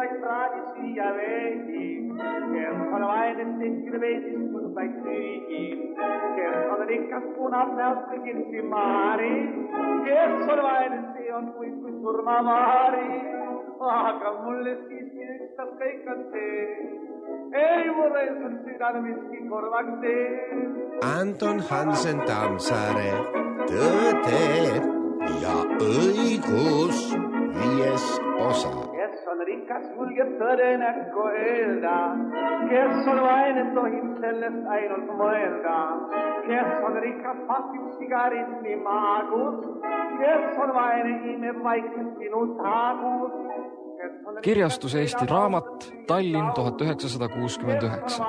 vaid praadisi ja veidi, kes on vaid tehtud veidistus vaid süügi, kes on rikas punab näost kõigil simaari, kes on vaid see on kui surmavaari, aga mulle siiski ükstas kõik on see, ei mulle on südame miski korvaks tee. Anton Hansen Tammsaare, Tõde ja õigus 5. osa. Kes on rikas, julgeb tõde näkku öelda, kes on vaene, tohib sellest ainult mõelda, kes on rikas, pasib sigaretti maagus, kes on vaene, imeb vaikselt sinu taagus. Kirjastus Eesti Raamat, Tallinn 1969.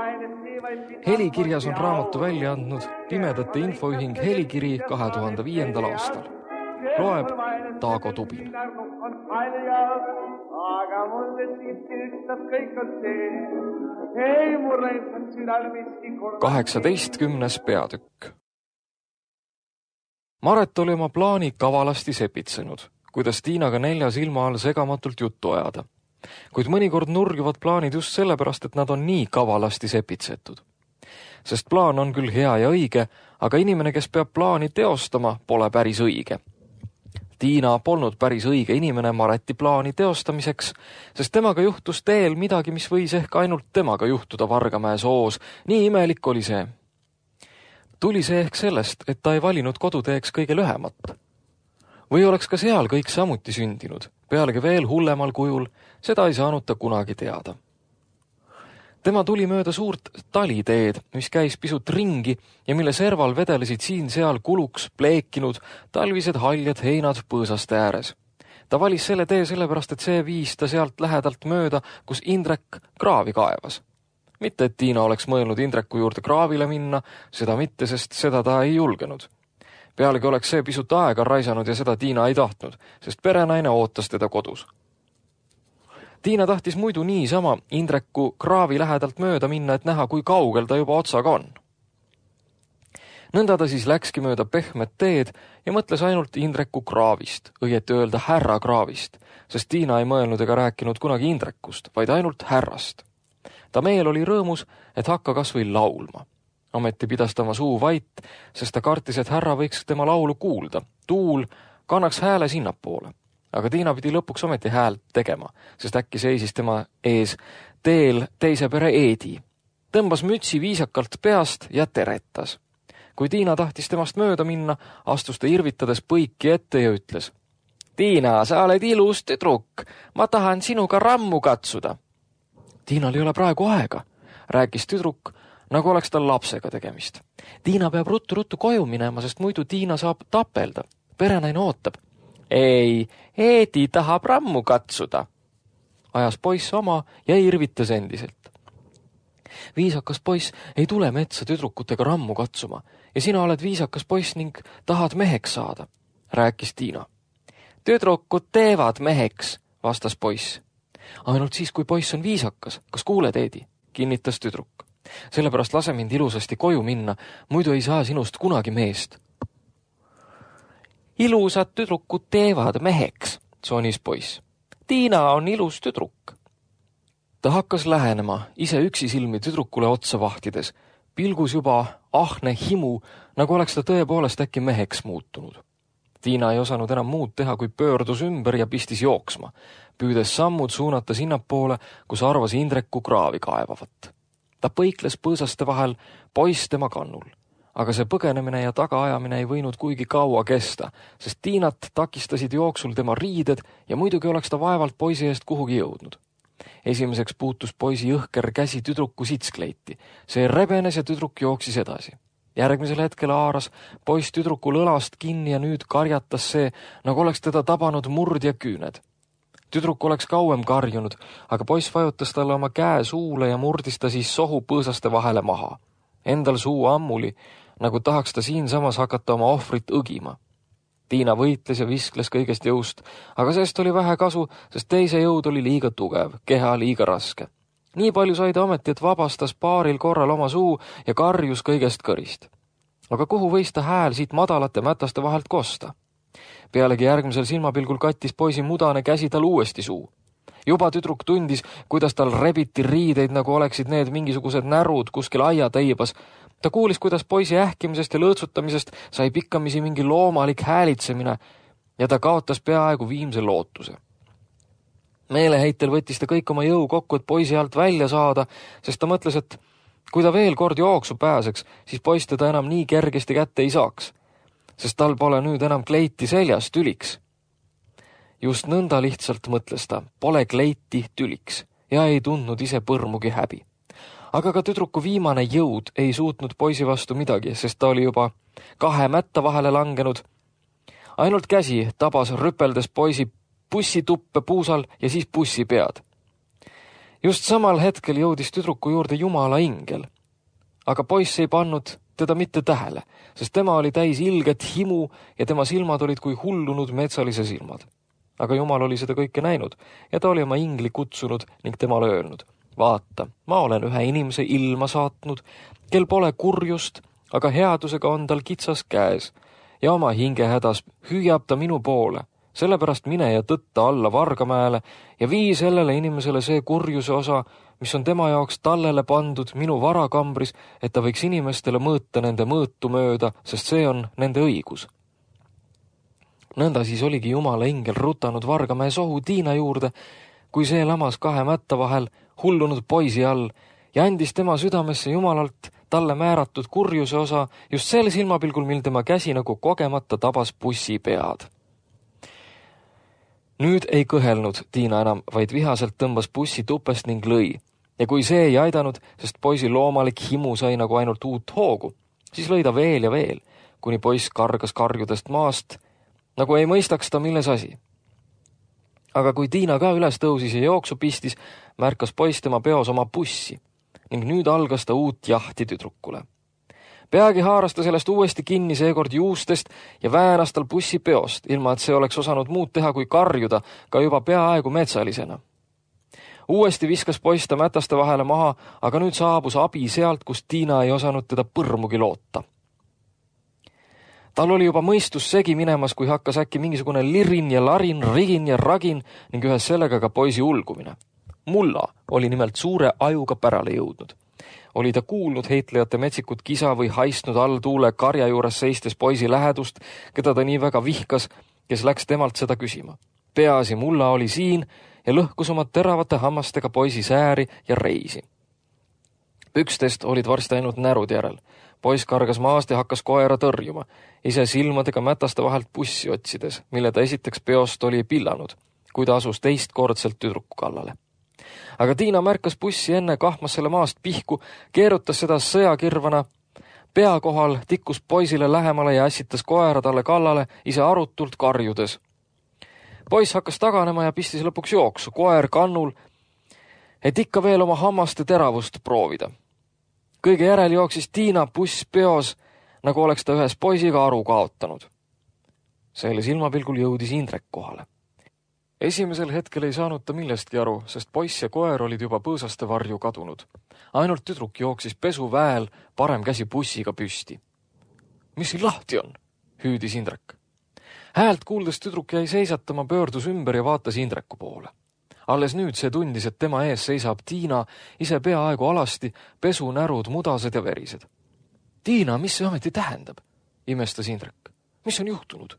Helikirjas on raamatu välja andnud Pimedate Infoühing Helikiri 2005. aastal. Loeb Taago Tubin. Aga mulle siiski ükstas kõik on see, ei mulle on südal miski korvaks. 18. peatükk. Maret oli oma plaani kavalasti sepitsenud, kuidas Tiinaga 4 silma all segamatult juttu ajada. Kuid mõnikord nurgivad plaanid just sellepärast, et nad on nii kavalasti sepitsetud. Sest plaan on küll hea ja õige, aga inimene, kes peab plaani teostama, pole päris õige. Tiina polnud päris õige inimene Mareti plaani teostamiseks, sest temaga juhtus teel midagi, mis võis ehk ainult temaga juhtuda Vargamäe soos. Nii imelik oli see. Tuli see ehk sellest, et ta ei valinud koduteeks kõige lühemat. Või oleks ka seal kõik samuti sündinud, pealegi veel hullemal kujul, seda ei saanud ta kunagi teada. Tema tuli mööda suurt taliteed, mis käis pisut ringi ja mille serval vedelesid siin-seal kuluks pleekinud talvised haljad heinad põõsaste ääres. Ta valis selle tee sellepärast, et see viis ta sealt lähedalt mööda, kus Indrek kraavi kaevas. Mitte, et Tiina oleks mõelnud Indreku juurde kraavile minna, seda mitte, sest seda ta ei julgenud. Pealegi oleks see pisut aega raisanud ja seda Tiina ei tahtnud, sest perenaine ootas teda kodus. Tiina tahtis muidu niisama Indreku kraavi lähedalt mööda minna, et näha, kui kaugel ta juba otsaga on. Nõnda ta siis läkski mööda pehmet teed ja mõtles ainult Indreku kraavist, õieti öelda härra kraavist, sest Tiina ei mõelnud ega rääkinud kunagi Indrekust, vaid ainult härrast. Ta meel oli rõõmus, et hakka kas või laulma. Ameti pidas ta oma suu vait, sest ta kartis, et härra võiks tema laulu kuulda. Tuul kannaks hääle sinnapoole. Aga Tiina pidi lõpuks ometi häält tegema, sest äkki seisis tema ees teel teise pere Eedi. Tõmbas mütsi viisakalt peast ja teretas. Kui Tiina tahtis temast mööda minna, astus ta irvitades põiki ette ja ütles: Tiina, sa oled ilus tüdruk, ma tahan sinuga rammu katsuda. Tiinal ei ole praegu aega, rääkis tüdruk, nagu oleks tal lapsega tegemist. Tiina peab ruttu koju minema, sest muidu Tiina saab tapelda. Perenaine ootab. Ei, Eedi tahab rammu katsuda. Ajas poiss oma ja irvitas endiselt. Viisakas poiss ei tule metsa tüdrukutega rammu katsuma ja sina oled viisakas poiss ning tahad meheks saada, rääkis Tiina. Tüdrukud teevad meheks, vastas poiss. Ainult siis, kui poiss on viisakas, kas kuuled, Eedi, kinnitas tüdruk. Sellepärast lase mind ilusasti koju minna, muidu ei saa sinust kunagi meest. Ilusad tüdrukud teevad meheks, sonis poiss. Tiina on ilus tüdruk. Ta hakkas lähenema, ise üksi silmi tüdrukule otsa vahtides, pilgus juba ahne himu, nagu oleks ta tõepoolest äkki meheks muutunud. Tiina ei osanud enam muud teha, kui pöördus ümber ja pistis jooksma, püüdes sammud suunata sinnapoole, kus arvas Indreku kraavi kaevavat. Ta põikles põõsaste vahel, poiss tema kannul. Aga see põgenemine ja tagaajamine ei võinud kuigi kaua kesta, sest Tiinat takistasid jooksul tema riided ja muidugi oleks ta vaevalt poisi eest kuhugi jõudnud. Esimeseks puutus poisi jõhker käsi tüdruku sitskleiti. See rebenes ja tüdruk jooksis edasi. Järgmisel hetkel haaras poiss tüdrukul õlast kinni ja nüüd karjatas see, nagu oleks teda tabanud murd ja küüned. Tüdruk oleks kauem karjunud, aga poiss vajutas talle oma käe suule ja murdis ta siis sohu põõsaste vahele maha. Endal suu ammuli, nagu tahaks ta siinsamas hakata oma ohvrit õgima. Tiina võitles ja viskles kõigest jõust, aga sest oli vähe kasu, sest teise jõud oli liiga tugev, keha liiga raske. Nii palju sai ta ometi, et vabastas paaril korral oma suu ja karjus kõigest kõrist. Aga kuhu võis ta hääl siit madalate mätaste vahelt kosta? Pealegi järgmisel silmapilgul kattis poisi mudane käsi tal uuesti suu. Juba tüdruk tundis, kuidas tal rebiti riideid, nagu oleksid need mingisugused närud kuskil aiateibas. Ta kuulis, kuidas poisi ähkimisest ja lõõtsutamisest sai pikkamisi mingi loomalik häälitsemine ja ta kaotas peaaegu viimse lootuse. Meeleheitel võttis ta kõik oma jõu kokku, et poisi alt välja saada, sest ta mõtles, et kui ta veel kord jooksu pääseks, siis poiss teda enam nii kergesti kätte ei saaks, sest tal pole nüüd enam kleiti seljas tüliks. Just nõnda lihtsalt mõtles ta, pole kleiti tüliks ja ei tundnud ise põrmugi häbi. Aga ka tüdruku viimane jõud ei suutnud poisi vastu midagi, sest ta oli juba 2 mätta vahele langenud. Ainult käsi tabas rüpeldes poisi bussituppe puusal ja siis bussi pead. Just samal hetkel jõudis tüdruku juurde Jumala ingel. Aga poiss ei pannud teda mitte tähele, sest tema oli täis ilget himu ja tema silmad olid kui hullunud metsalise silmad. Aga Jumal oli seda kõike näinud ja ta oli oma ingli kutsunud ning temale öelnud: vaata, ma olen ühe inimese ilma saatnud, kel pole kurjust, aga headusega on tal kitsas käes ja oma hingehädas hüüab ta minu poole. Sellepärast mine ja tõtta alla Vargamäele ja vii sellele inimesele see kurjuse osa, mis on tema jaoks tallele pandud minu varakambris, et ta võiks inimestele mõõta nende mõõtu mööda, sest see on nende õigus. Nõnda siis oligi Jumala ingel rutanud Vargamäe sohu Tiina juurde, kui see lamas 2 mätta vahel hullunud poisi all ja andis tema südamesse Jumalalt talle määratud kurjuse osa just sel silmapilgul, mil tema käsi nagu kogemata tabas bussi pead. Nüüd ei kõhelnud Tiina enam, vaid vihaselt tõmbas bussi tupest ning lõi. Ja kui see ei aidanud, sest poisi loomalik himu sai nagu ainult uut hoogu, siis lõi ta veel ja veel, kuni poiss kargas karjudest maast, nagu ei mõistaks ta, milles asi. Aga kui Tiina ka üles tõusis ja jooksu pistis, märkas poiss tema peos oma bussi ning nüüd algas ta uut jahti tüdrukule. Peagi haaras ta sellest uuesti kinni seekord juustest ja väänas tal bussi peost, ilma et see oleks osanud muud teha kui karjuda ka juba peaaegu metsalisena. Uuesti viskas poiss ta mätaste vahele maha, aga nüüd saabus abi sealt, kus Tiina ei osanud teda põrmugi loota. Tal oli juba mõistus segi minemas, kui hakkas äkki mingisugune lirin ja larin, rigin ja ragin ning ühes sellega ka poisi ulgumine. Mulla oli nimelt suure ajuga pärale jõudnud. Oli ta kuulnud heitlejate metsikut kisa või haistnud all tuule karja juures seistes poisi lähedust, keda ta nii väga vihkas, kes läks temalt seda küsima. Peaasi Mulla oli siin ja lõhkus oma teravate hammastega poisi sääri ja reisi. Pükstest olid varsti ainult närud järel. Poiss kargas maast ja hakkas koera tõrjuma, ise silmadega mätaste vahelt bussi otsides, mille ta esiteks peost oli pillanud, kui ta asus teistkordselt tüdruku kallale. Aga Tiina märkas bussi enne, kahmas selle maast pihku, keerutas seda sõjakirvana pea kohal, tikkus poisile lähemale ja ässitas koera talle kallale, ise arutult karjudes. Poiss hakkas taganema ja pistis lõpuks jooksu, koer kannul, et ikka veel oma hammaste teravust proovida. Kõige järel jooksis Tiina buss peos, nagu oleks ta ühes poisiga aru kaotanud. Selle silmapilgul jõudis Indrek kohale. Esimesel hetkel ei saanud ta millestki aru, sest poiss ja koer olid juba põõsaste varju kadunud. Ainult tüdruk jooksis pesuväel parem käsi bussiga püsti. Mis siin lahti on? Hüüdis Indrek. Häält kuuldes tüdruk jäi seisatama, pöördus ümber ja vaatas Indreku poole. Alles nüüd see tundis, et tema ees seisab Tiina, ise peaaegu alasti, pesunärud, mudased ja verised. Tiina, mis see ometi tähendab? Imestas Indrek. Mis on juhtunud?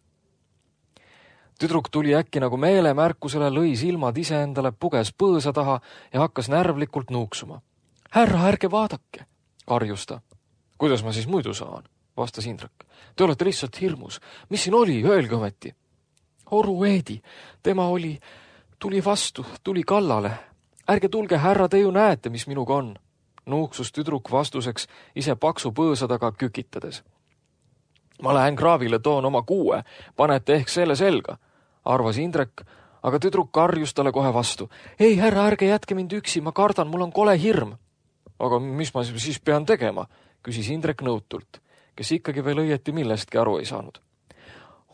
Tüdruk tuli äkki nagu meelemärkusele, lõi silmad iseendale, puges põõsa taha ja hakkas närvlikult nuuksuma. Härra, ärge vaadake, karjus ta. Kuidas ma siis muidu saan? Vastas Indrek. Te olete lihtsalt hirmus. Mis siin oli? Öelge ometi. Oru Eedi, tema tuli vastu, tuli kallale. Ärge tulge, härra, te ju näete, mis minuga on. Nuuksus tüdruk vastuseks ise paksu põõsa taga kükitades. Ma lähen kraavile, toon oma 6, panete ehk selle selga, arvas Indrek, aga tüdruk karjus talle kohe vastu. Ei, härra, ärge jätke mind üksi, ma kardan, mul on kole hirm. Aga mis ma siis pean tegema, küsis Indrek nõutult, kes ikkagi veel õieti millestki aru ei saanud.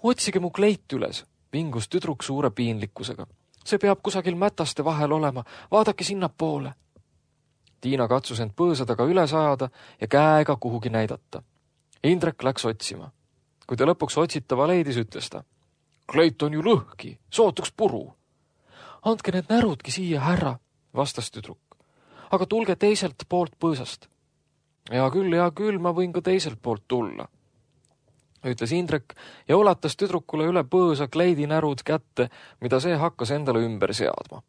Otsige mu kleit üles, vingus tüdruk suure piinlikkusega. See peab kusagil mätaste vahel olema, vaadake sinna poole. Tiina katsus end põõsa taga üles ajada ja käega kuhugi näidata. Indrek läks otsima. Kui ta lõpuks otsitava leidis, ütles ta. Kleit on ju lõhki, sootuks puru. andke need närudki siia, härra, vastas tüdruk. Aga tulge teiselt poolt põõsast. Hea küll, ma võin ka teiselt poolt tulla, ütles Indrek ja ulatas tüdrukule üle põõsa kleidinärud kätte, mida see hakkas endale ümber seadma.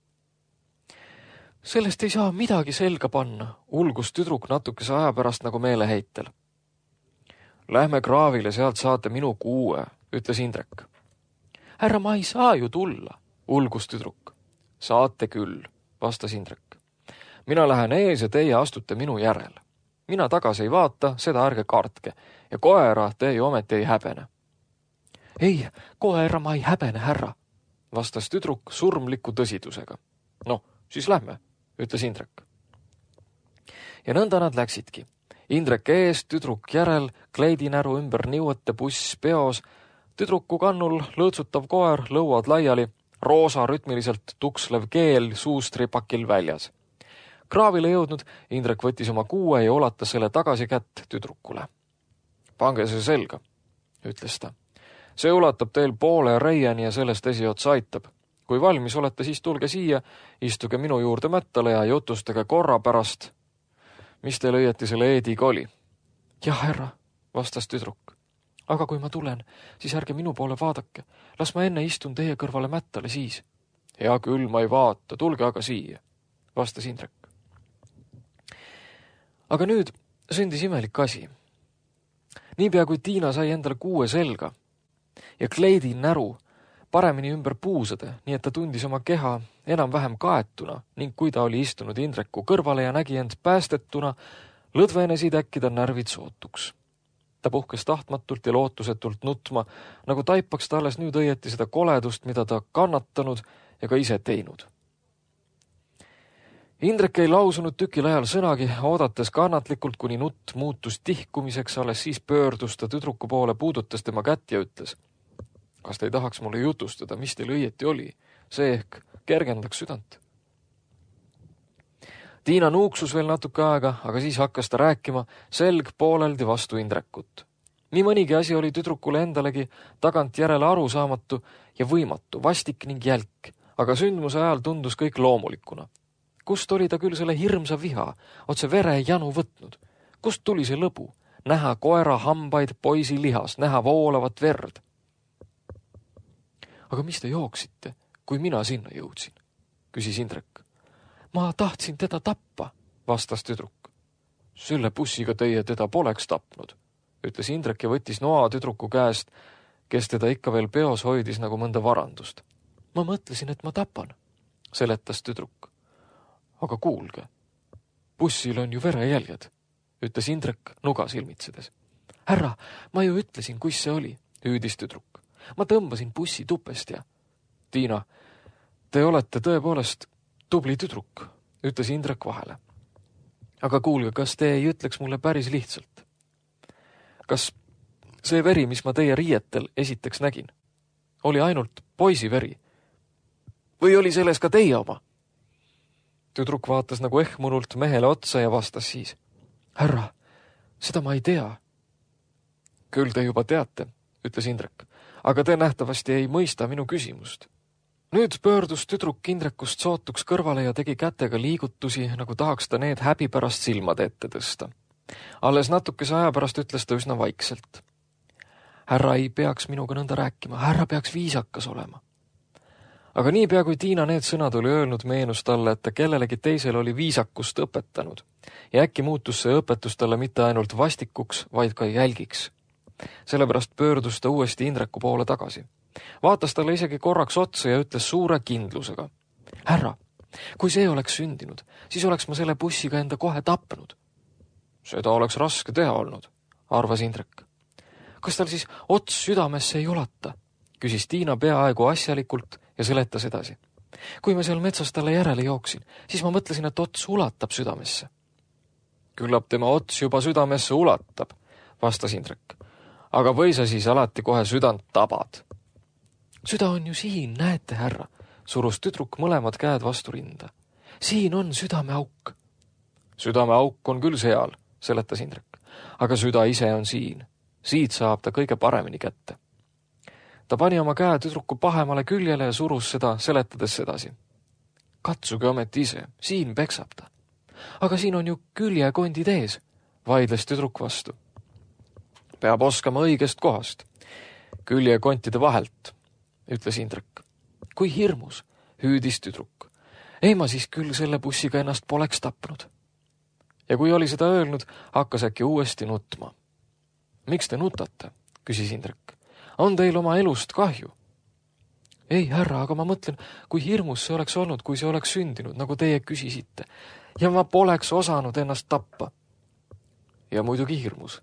Sellest ei saa midagi selga panna, ulgus tüdruk natukese aja pärast nagu meeleheitel. Lähme kraavile, sealt saate minu kuue, ütles Indrek. Härra, ma ei saa ju tulla, ulgus tüdruk. Saate küll, vastas Indrek. Mina lähen ees ja teie astute minu järel. Mina tagasi ei vaata, seda ärge kartke ja koera te ju ometi ei häbene. Ei, koera ma ei häbene, härra, vastas tüdruk surmliku tõsidusega. No, siis lähme, ütles Indrek. Ja nõnda nad läksidki. Indrek ees, tüdruk järel, kleidinäru ümber niuete buss peos, tüdruku kannul lõõtsutav koer, lõuad laiali, roosa rütmiliselt tukslev keel suustripakil väljas. Kraavile jõudnud, Indrek võttis oma kuue ja ulatas selle tagasi kätt tüdrukule. Pange see selga, ütles ta. See ulatab teil poole reieni ja sellest esiots aitab. Kui valmis olete, siis tulge siia, istuge minu juurde mättale ja jutustage korra pärast. Mis teil õieti selle eediga oli? Jah, härra, vastas tüdruk. Aga kui ma tulen, siis ärge minu poole vaadake. Las ma enne istun teie kõrvale mättale siis. Hea küll, ma ei vaata, tulge aga siia, vastas Indrek. Aga nüüd sündis imelik asi. Niipea kui Tiina sai endale kuue selga ja kleidi näru paremini ümber puusade, nii et ta tundis oma keha enam-vähem kaetuna ning kui ta oli istunud Indreku kõrvale ja nägi end päästetuna, lõdvenesid äkki ta närvid sootuks. Ta puhkes tahtmatult ja lootusetult nutma, nagu taipaks ta alles nüüd õieti seda koledust, mida ta kannatanud ja ka ise teinud. Indrek ei lausunud tükil ajal sõnagi, oodates kannatlikult, kuni nutt muutus tihkumiseks, alles siis pöördus ta tüdruku poole, puudutas tema kätt ja ütles. Kas te ei tahaks mulle jutustada, mis teil õieti oli? See ehk kergendaks südant. Tiina nuuksus veel natuke aega, aga siis hakkas ta rääkima, selg pooleldi vastu Indrekut. Nii mõnigi asi oli tüdrukule endalegi tagant järele arusaamatu ja võimatu, vastik ning jälk, aga sündmuse ajal tundus kõik loomulikuna. Kust oli ta küll selle hirmsa viha, otse vere janu võtnud? Kust tuli see lõbu? Näha koera hambaid poisi lihas, näha voolavat verd. Aga mis te jooksite, kui mina sinna jõudsin? Küsis Indrek. Ma tahtsin teda tappa, vastas tüdruk. Selle bussiga teie teda poleks tapnud, ütles Indrek ja võttis noa tüdruku käest, kes teda ikka veel peos hoidis nagu mõnda varandust. Ma mõtlesin, et ma tapan, seletas tüdruk. Aga kuulge, bussil on ju verejäljed, ütles Indrek nuga silmitsedes. Härra, ma ju ütlesin, kus see oli, hüüdis tüdruk. Ma tõmbasin bussi tupest ja... Tiina, te olete tõepoolest tubli tüdruk, ütles Indrek vahele. Aga kuulge, kas te ei ütleks mulle päris lihtsalt? Kas see veri, mis ma teie riietel esiteks nägin, oli ainult poisi veri? Või oli selles ka teie oma? Tüdruk vaatas nagu ehmunult mehele otsa ja vastas siis. Härra, seda ma ei tea. Küll te juba teate, ütles Indrek, aga te nähtavasti ei mõista minu küsimust. Nüüd pöördus tüdruk Indrekust sootuks kõrvale ja tegi kätega liigutusi, nagu tahaks ta need häbi pärast silmade ette tõsta. Alles natukese aja pärast ütles ta üsna vaikselt. Härra ei peaks minuga nõnda rääkima, härra peaks viisakas olema. Aga niipea kui Tiina need sõnad oli öelnud, meenus talle, et ta kellelegi teisel oli viisakust õpetanud ja äkki muutus see õpetus talle mitte ainult vastikuks, vaid ka jälgiks. Sellepärast pöördus ta uuesti Indreku poole tagasi. Vaatas talle isegi korraks otsa ja ütles suure kindlusega. Härra, kui see oleks sündinud, siis oleks ma selle bussiga enda kohe tapnud. Seda oleks raske teha olnud, arvas Indrek. Kas tal siis ots südamesse ei ulata? Küsis Tiina peaaegu asjalikult ja seletas edasi. Kui ma seal metsas talle järele jooksin, siis ma mõtlesin, et ots ulatab südamesse. Küllap tema ots juba südamesse ulatab, vastas Indrek. Aga või sa siis alati kohe südant tabad? Süda on ju siin, näete, härra, surus tüdruk mõlemad käed vastu rinda. Siin on südameauk. Südameauk on küll seal, seletas Indrek, aga süda ise on siin. Siit saab ta kõige paremini kätte. Ta pani oma käe tüdruku pahemale küljele ja surus seda, seletades sedasi. Katsuge ometi ise, siin peksab ta. Aga siin on ju küljekondid ees, vaidles tüdruk vastu. Peab oskama õigest kohast. Küljekontide vahelt, ütles Indrek. Kui hirmus, hüüdis tüdruk. Ei ma siis küll selle bussiga ennast poleks tapnud. Ja kui oli seda öelnud, hakkas äkki uuesti nutma. Miks te nutate, küsis Indrek. On teil oma elust kahju? Ei, härra, aga ma mõtlen, kui hirmus see oleks olnud, kui see oleks sündinud, nagu teie küsisite. Ja ma poleks osanud ennast tappa. Ja muidugi hirmus,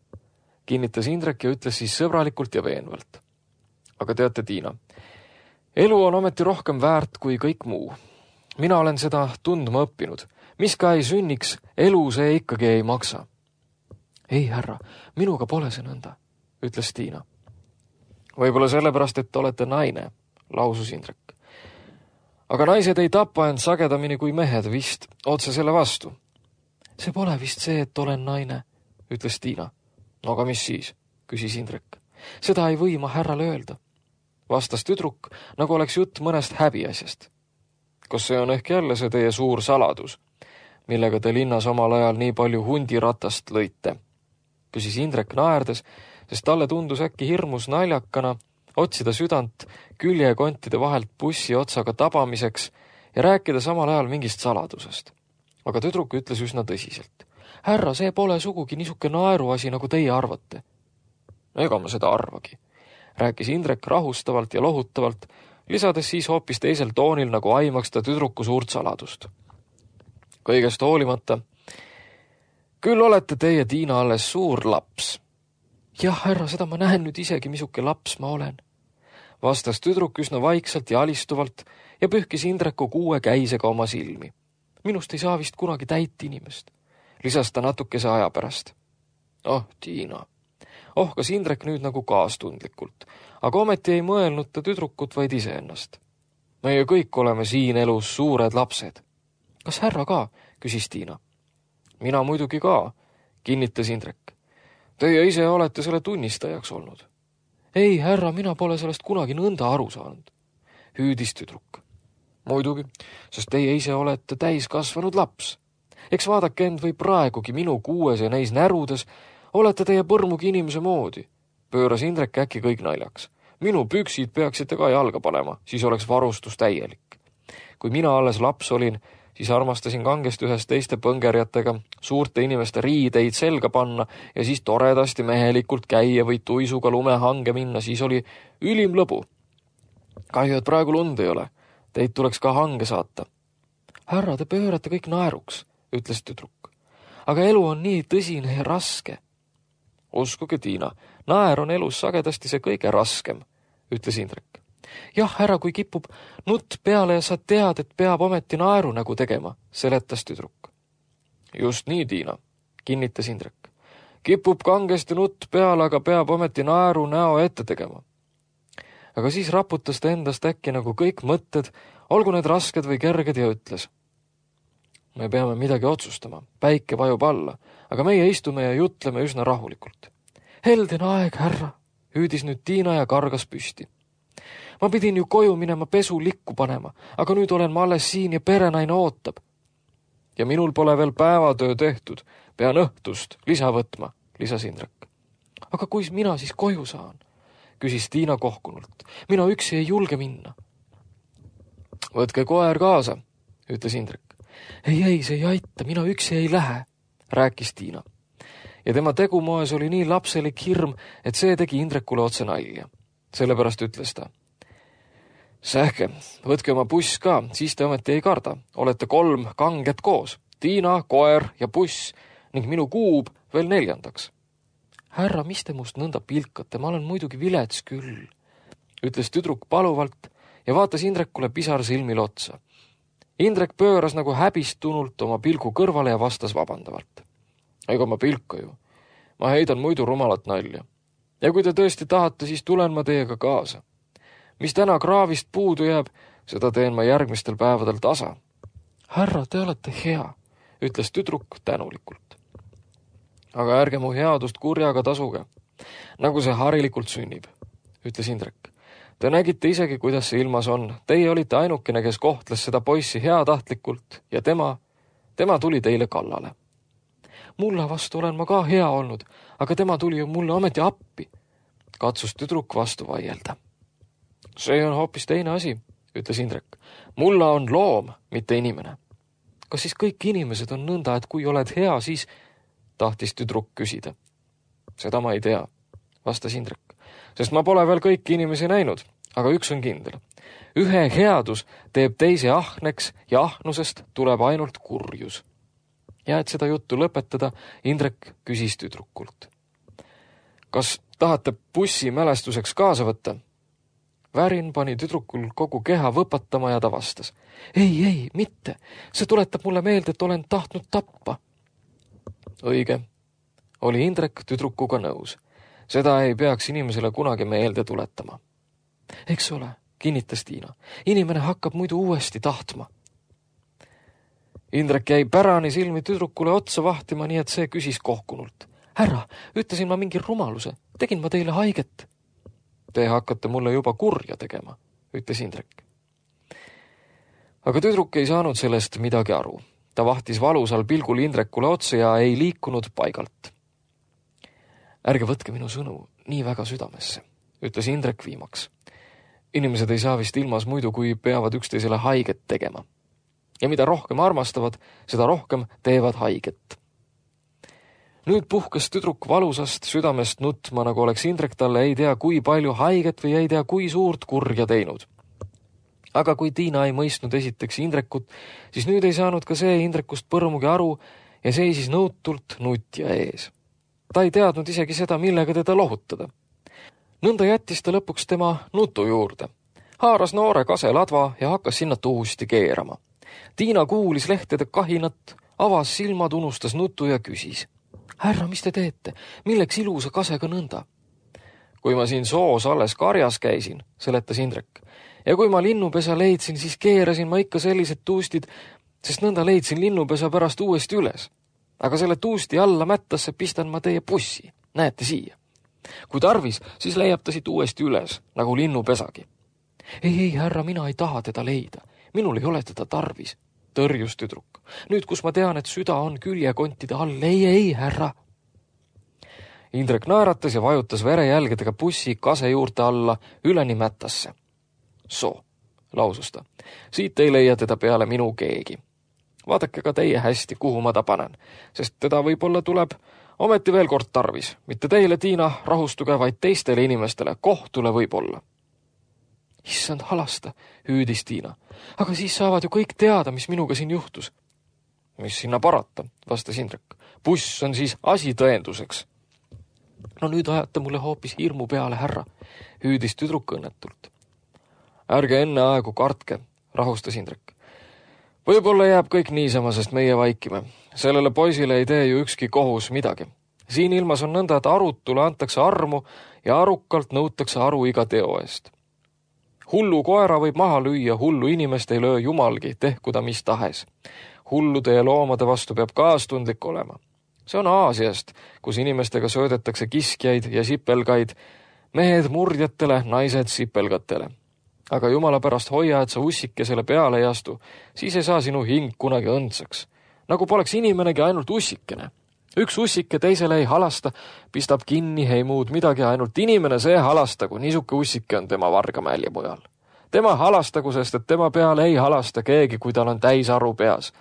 kinnitas Indrek ja ütles siis sõbralikult ja veenvalt. Aga teate, Tiina, elu on ometi rohkem väärt kui kõik muu. Mina olen seda tundma õppinud. Mis ka ei sünniks, elu see ikkagi ei maksa. Ei, härra, minuga pole see nõnda, ütles Tiina. Võib-olla sellepärast, et olete naine, lausus Indrek. Aga naised ei tapa end sagedamini kui mehed vist, otse selle vastu. See pole vist see, et olen naine, ütles Tiina. No aga mis siis, küsis Indrek. Seda ei või ma härrale öelda, vastas tüdruk, nagu oleks jutt mõnest häbiasjast. Kas see on ehk jälle see teie suur saladus, millega te linnas omal ajal nii palju hundiratast lõite? Küsis Indrek naerdes, sest talle tundus äkki hirmus naljakana otsida südant küljekontide vahelt bussi otsaga tabamiseks ja rääkida samal ajal mingist saladusest. Aga tüdruk ütles üsna tõsiselt. Härra, see pole sugugi niisuke naeruasi, nagu teie arvate. Ega ma seda arvagi, rääkis Indrek rahustavalt ja lohutavalt, lisades siis hoopis teisel toonil, nagu aimaks ta tüdruku suurt saladust. Kõigest hoolimata, küll olete teie, Tiina, alles suur laps. Jah, härra, seda ma näen nüüd isegi, misuke laps ma olen, vastas tüdruk üsna vaikselt ja alistuvalt ja pühkis Indreku 6 käisega oma silmi. Minust ei saa vist kunagi täit inimest, lisas ta natukese aja pärast. Oh, Tiina, ohkas Indrek nüüd nagu kaastundlikult, aga ometi ei mõelnud ta tüdrukut, vaid iseennast. Meie kõik oleme siin elus suured lapsed. Kas härra ka, küsis Tiina. Mina muidugi ka, kinnitas Indrek. Teie ise olete selle tunnistajaks olnud. Ei, härra, mina pole sellest kunagi nõnda aru saanud, hüüdis tüdruk. Muidugi, sest teie ise olete täiskasvanud laps. Eks vaadake end või praegugi minu 6 ja neis närudes olete teie põrmugi inimese moodi, pööras Indrek äkki kõik naljaks. Minu püksid peaksite ka jalga panema, siis oleks varustus täielik. Kui mina alles laps olin, siis armastasin kangesti ühes teiste põngerjatega suurte inimeste riideid selga panna ja siis toredasti mehelikult käia või tuisuga lumehange minna, siis oli ülim lõbu. Kahju, et praegu lund ei ole. Teid tuleks ka hange saata. Härra, te pöörate kõik naeruks, ütles tüdruk. Aga elu on nii tõsine ja raske. Uskuge, Tiina, naer on elus sagedasti see kõige raskem, ütles Indrek. Jah, härra, kui kipub nutt peale ja sa tead, et peab ometi naeru nägu tegema, seletas tüdruk. Just nii, Tiina, kinnitas Indrek. Kipub kangesti nutt peale, aga peab ometi naeru näo ette tegema. Aga siis raputas ta endast äkki nagu kõik mõtted, olgu need rasked või kerged ja ütles. Me peame midagi otsustama, päike vajub alla, aga meie istume ja jutleme üsna rahulikult. Helden aeg, härra, hüüdis nüüd Tiina ja kargas püsti. Ma pidin ju koju minema pesu likku panema, aga nüüd olen ma alles siin ja perenaine ootab. Ja minul pole veel päevatöö tehtud, pean õhtust lisa võtma, lisas Indrek. Aga kuis mina siis koju saan? Küsis Tiina kohkunult. Mina üksi ei julge minna. Võtke koer kaasa, ütles Indrek. Ei, see ei aita, mina üksi ei lähe, rääkis Tiina. Ja tema tegumoes oli nii lapselik hirm, et see tegi Indrekule otse nalja. Sellepärast ütles ta. Sähke, võtke oma buss ka, siis te ometi ei karda. Olete 3 kanget koos. Tiina, koer ja buss ning minu kuub veel 4. Härra, mis te must nõnda pilkate, ma olen muidugi vilets küll, ütles tüdruk paluvalt ja vaatas Indrekule pisar silmil otsa. Indrek pööras nagu häbistunult oma pilgu kõrvale ja vastas vabandavalt. Ega ma pilka ju. Ma heidan muidu rumalat nalja. Ja kui te tõesti tahate, siis tulen ma teiega kaasa. Mis täna kraavist puudu jääb, seda teen ma järgmistel päevadel tasa. Härra, te olete hea, ütles tüdruk tänulikult. Aga ärge mu headust kurjaga tasuge, nagu see harilikult sünnib, ütles Indrek. Te nägite isegi, kuidas see ilmas on. Teie olite ainukene, kes kohtles seda poissi heatahtlikult ja tema tuli teile kallale. Mulla vastu olen ma ka hea olnud, aga tema tuli ju mulle ometi appi. Katsus tüdruk vastu vaielda. See on hoopis teine asi, ütles Indrek. Mulla on loom, mitte inimene. Kas siis kõik inimesed on nõnda, et kui oled hea, siis tahtis tüdruk küsida. Seda ma ei tea, vastas Indrek, sest ma pole veel kõiki inimesi näinud, aga üks on kindel. Ühe headus teeb teise ahneks ja ahnusest tuleb ainult kurjus. Ja et seda juttu lõpetada, Indrek küsis tüdrukult. Kas tahate bussi mälestuseks kaasa võtta? Värin pani tüdrukul kogu keha võpatama ja ta vastas. Ei, mitte. See tuletab mulle meelde, et olen tahtnud tappa. Õige. Oli Indrek tüdrukuga nõus. Seda ei peaks inimesele kunagi meelde tuletama. Eks ole, kinnitas Tiina. Inimene hakkab muidu uuesti tahtma. Indrek jäi pärani silmi tüdrukule otsa vahtima, nii et see küsis kohkunult. Härra, ütlesin ma mingi rumaluse. Tegin ma teile haiget. Te hakkate mulle juba kurja tegema, ütles Indrek. Aga tüdruk ei saanud sellest midagi aru. Ta vahtis valusal pilgul Indrekule otsa ja ei liikunud paigalt. Ärge võtke minu sõnu nii väga südamesse, ütles Indrek viimaks. Inimesed ei saa vist ilmas muidu, kui peavad üksteisele haiget tegema. Ja mida rohkem armastavad, seda rohkem teevad haiget. Nüüd puhkes tüdruk valusast südamest nutma, nagu oleks Indrek talle ei tea kui palju haiget või ei tea kui suurt kurja teinud. Aga kui Tiina ei mõistnud esiteks Indrekut, siis nüüd ei saanud ka see Indrekust põrmugi aru ja seisis nõutult nutja ees. Ta ei teadnud isegi seda, millega teda lohutada. Nõnda jättis ta lõpuks tema nutu juurde. Haaras noore kaseladva ja hakkas sinna tuusti keerama. Tiina kuulis lehtede kahinat, avas silmad, unustas nutu ja küsis. Härra, mis te teete? Milleks ilusa kasega nõnda? Kui ma siin soos alles karjas käisin, seletas Indrek. Ja kui ma linnupesa leidsin, siis keerasin ma ikka sellised tuustid, sest nõnda leidsin linnupesa pärast uuesti üles. Aga selle tuusti alla mättasse pistan ma teie bussi. Näete siia. Kui tarvis, siis leiab ta siit uuesti üles, nagu linnupesagi. Ei, härra, mina ei taha teda leida. Minul ei ole teda tarvis. Tõrjus tüdruk. Nüüd, kus ma tean, et süda on küljekontide all, ei, härra. Indrek naeratas ja vajutas verejälgedega bussi kase juurte alla üleni mättasse. Soo, lausus ta. Siit ei leia teda peale minu keegi. Vaadake ka teie hästi, kuhu ma ta panen, sest teda võib-olla tuleb ometi veel kord tarvis. Mitte teile, Tiina, rahustuge, vaid teistele inimestele, kohtule võib-olla. Issand halasta, hüüdis Tiina. Aga siis saavad ju kõik teada, mis minuga siin juhtus. Mis sinna parata, vastas Indrek. Buss on siis asi tõenduseks. No nüüd ajate mulle hoopis hirmu peale, härra, hüüdis tüdruk õnnetult. Ärge enne aegu kartke, rahustas Indrek. Võib-olla jääb kõik niisama, sest meie vaikime. Sellele poisile ei tee ju ükski kohus midagi. Siin ilmas on nõnda, et arutule antakse armu ja arukalt nõutakse aru iga teo eest. Hullu koera võib maha lüüa, hullu inimest ei löö jumalgi, tehku ta mis tahes. Hullude ja loomade vastu peab kaastundlik olema. See on Aasiast, kus inimestega söödetakse kiskjaid ja sipelgaid, mehed murdjatele, naised sipelgatele. Aga jumala pärast hoia, et sa ussikesele peale ei astu, siis ei saa sinu hing kunagi õndsaks. Nagu poleks inimenegi ainult ussikene. Üks ussike teisele ei halasta, pistab kinni, ei muud midagi, ainult inimene see halastagu, niisuke ussike on tema Vargamäel ja mujal. Tema halastagu, sest et tema peale ei halasta keegi, kui tal on täis aru peas.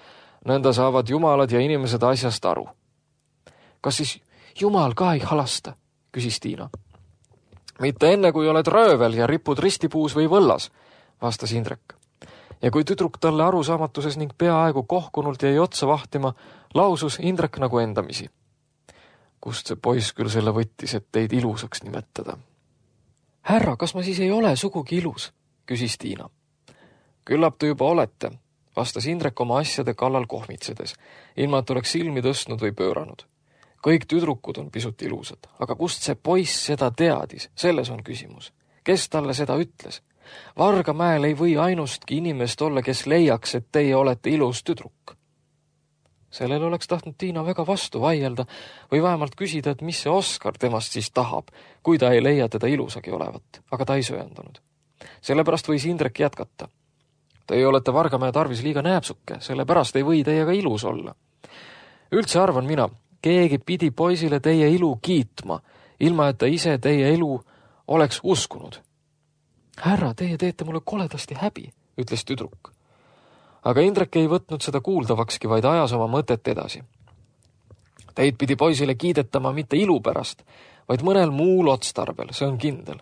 Nõnda saavad jumalad ja inimesed asjast aru. Kas siis jumal ka ei halasta, küsis Tiina. Mitte enne, kui oled röövel ja ripud ristipuus või võllas, vastas Indrek. Ja kui tüdruk talle arusaamatuses ning peaaegu kohkunult jäi otsa vahtima, lausus Indrek nagu endamisi. Kust see poiss küll selle võttis, et teid ilusaks nimetada? Härra, kas ma siis ei ole sugugi ilus, küsis Tiina. Küllap te juba olete, vastas Indrek oma asjade kallal kohmitsedes, ilma et oleks silmi tõstnud või pööranud. Kõik tüdrukud on pisut ilusad, aga kust see poiss seda teadis, selles on küsimus. Kes talle seda ütles? Vargamäel ei või ainustki inimest olla, kes leiaks, et teie olete ilus tüdruk. Sellel oleks tahtnud Tiina väga vastu vaielda või vähemalt küsida, et mis see Oskar temast siis tahab, kui ta ei leia teda ilusagi olevat, aga ta ei söandanud. Sellepärast võis Indrek jätkata. Teie olete Vargamäe tarvis liiga nääpsuke, sellepärast ei või teiega ilus olla. Üldse arvan mina, keegi pidi poisile teie ilu kiitma, ilma et ta ise teie ilu oleks uskunud. Härra, teie teete mulle koledasti häbi, ütles tüdruk. Aga Indrek ei võtnud seda kuuldavakski, vaid ajas oma mõtet edasi. Teid pidi poisile kiidetama mitte ilu pärast, vaid mõnel muul otstarbel, see on kindel.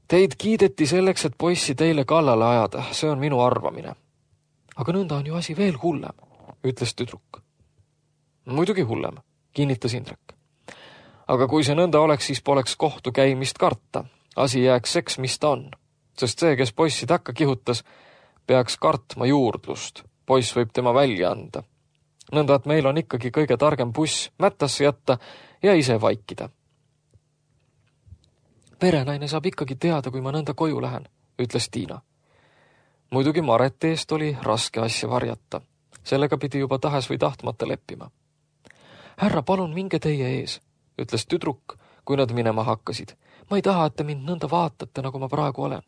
Teid kiideti selleks, et poissi teile kallale ajada, see on minu arvamine. Aga nõnda on ju asi veel hullem, ütles tüdruk. Muidugi hullem, kinnitas Indrek. Aga kui see nõnda oleks, siis poleks kohtu käimist karta. Asi jääks seks, mis ta on. Sest see, kes poissi takka kihutas, peaks kartma juurdlust. Poiss võib tema välja anda. Nõnda, et meil on ikkagi kõige targem buss mättasse jätta ja ise vaikida. Perenaine saab ikkagi teada, kui ma nõnda koju lähen, ütles Tiina. Muidugi Mareti eest oli raske asja varjata. Sellega pidi juba tahes või tahtmata leppima. Härra, palun minge teie ees, ütles tüdruk, kui nad minema hakkasid. Ma ei taha, et te mind nõnda vaatate, nagu ma praegu olen.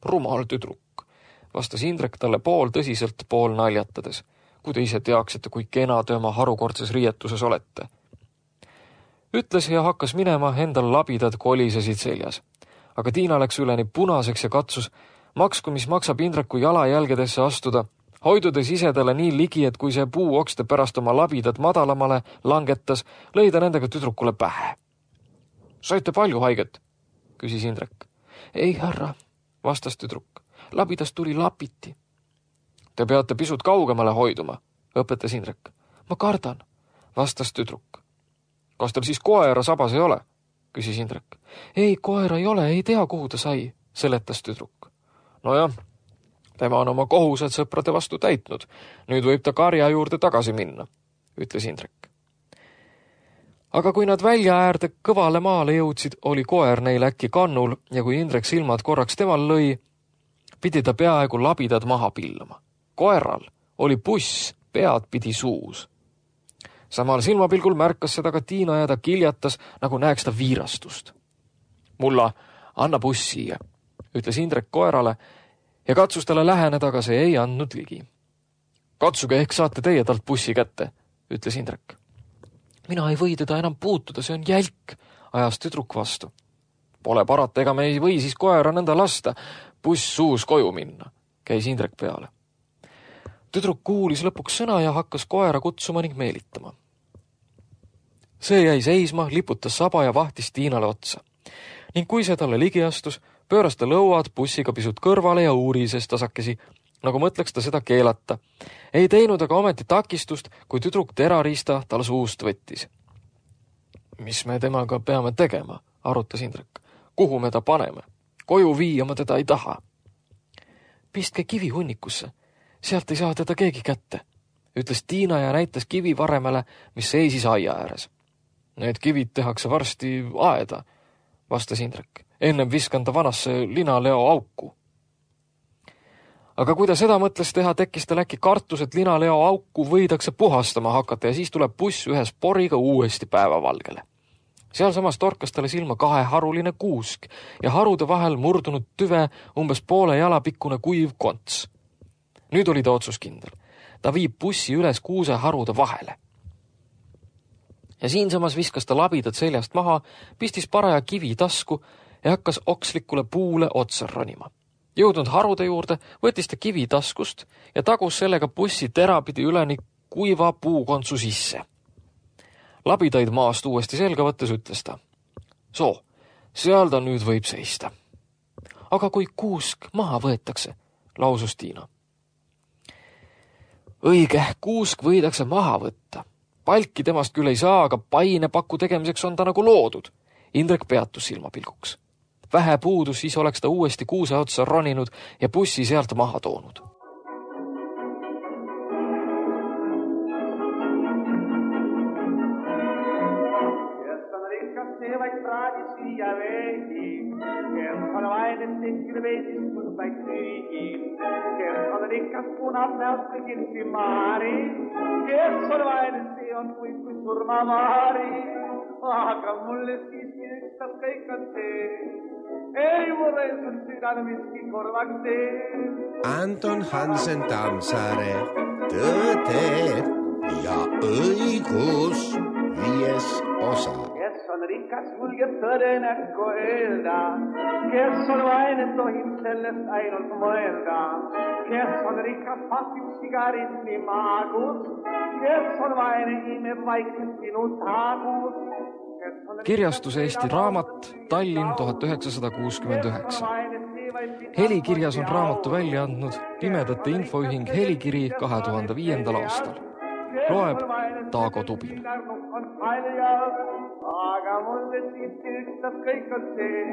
Rumal tüdruk, vastas Indrek talle pool tõsiselt, pool naljatades. Kui te ise teaksite, kui kena te oma harukordses riietuses olete. Ütles ja hakkas minema, endal labidad kolisesid seljas. Aga Tiina läks üleni punaseks ja katsus, maksku mis maksab Indreku jalajälgedesse astuda, hoidudes ise talle nii ligi, et kui see puuokste pärast oma labidad madalamale langetas, lõi ta nendega tüdrukule pähe. Saite palju haiget, küsis Indrek. Ei, härra, vastas tüdruk. Labidast tuli lapiti. Te peate pisut kaugemale hoiduma, õpetas Indrek. Ma kardan, vastas tüdruk. Kas teil siis koera sabas ei ole, küsis Indrek. Ei, koera ei ole, ei tea, kuhu ta sai, seletas tüdruk. Nojah, tema on oma kohused sõprade vastu täitnud. Nüüd võib ta karja juurde tagasi minna, ütles Indrek. Aga kui nad välja äärde kõvale maale jõudsid, oli koer neil äkki kannul ja kui Indrek silmad korraks temal lõi, pidi ta peaaegu labidad maha pillama. Koeral oli puss pead pidi suus. Samal silmapilgul märkas seda ka Tiina ja ta kiljatas, nagu näeks ta viirastust. Mulla, anna puss siia, ütles Indrek koerale ja katsus talle läheneda, aga see ei andnud ligi. Katsuge, ehk saate teie talt pussi kätte, ütles Indrek. Mina ei või teda enam puutuda, see on jälk, ajas tüdruk vastu. Pole parata, ega me ei või siis koera nõnda lasta, buss suus koju minna, käis Indrek peale. Tüdruk kuulis lõpuks sõna ja hakkas koera kutsuma ning meelitama. See jäi seisma, liputas saba ja vahtis Tiinale otsa. Ning kui see talle ligi astus, pööras ta lõuad bussiga pisut kõrvale ja uurises tasakesi, nagu mõtleks ta seda keelata. Ei teinud aga ometi takistust, kui tüdruk terariista tal suust võttis. Mis me temaga peame tegema, arutas Indrek. Kuhu me ta paneme? Koju viia ma teda ei taha. Pistke kivi hunnikusse. Sealt ei saa teda keegi kätte, ütles Tiina ja näitas kivi varemele, mis seisis aia ääres. Need kivid tehakse varsti aeda, vastas Indrek. Ennem viskan ta vanasse linaleo auku. Aga kui ta seda mõtles teha, tekkis tal äkki kartus, et linaleo auku võidakse puhastama hakata ja siis tuleb buss ühe sporiga uuesti päevavalgele. Sealsamas torkas talle silma kaheharuline kuusk ja harude vahel murdunud tüve umbes poole jalapikkune kuiv konts. Nüüd oli ta otsuskindel. Ta viib bussi üles kuuseharude vahele. Ja siinsamas viskas ta labidad seljast maha, pistis paraja kivi tasku ja hakkas okslikule puule otsa ronima. Jõudnud harude juurde, võttis ta kivi taskust ja tagus sellega bussi terapidi üleni kuiva puukontsu sisse. Labidaid maast uuesti selga võttes ütles ta. Soo, seal ta nüüd võib seista. Aga kui kuusk maha võetakse, lausus Tiina. Õige, kuusk võidakse maha võtta. Palki temast küll ei saa, aga painepaku tegemiseks on ta nagu loodud. Indrek peatus silmapilguks. Vähe puudus, siis oleks ta uuesti kuuse otsa roninud ja bussi sealt maha toonud. Rikkas punasnäos kõigilsi maari, kes on vaene, see on kui surmavaari, aga mulle siiski üks ükstas kõik on see. Ei mulle on südame miski korvaks tee. Anton Hansen Tammsaare, Tõde ja õigus 5. osa. Kes on rikas, julgeb tõde näkku öelda. Kes on vaene, tohib sellest ainult mõelda. Kes on rikas, pasib sigaretti maagus. Kes on vaene, imeb vaikselt sinu taagus. Kirjastus Eesti Raamat, Tallinn 1969. Helikirjas on raamatu välja andnud Pimedate Infoühing Helikiri 2005. aastal. Loeb Taago Tubin. Aga mulle siiski ükstas kõik on see.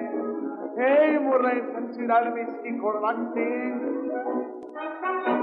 Ei mulle on südal miski korvaks tee.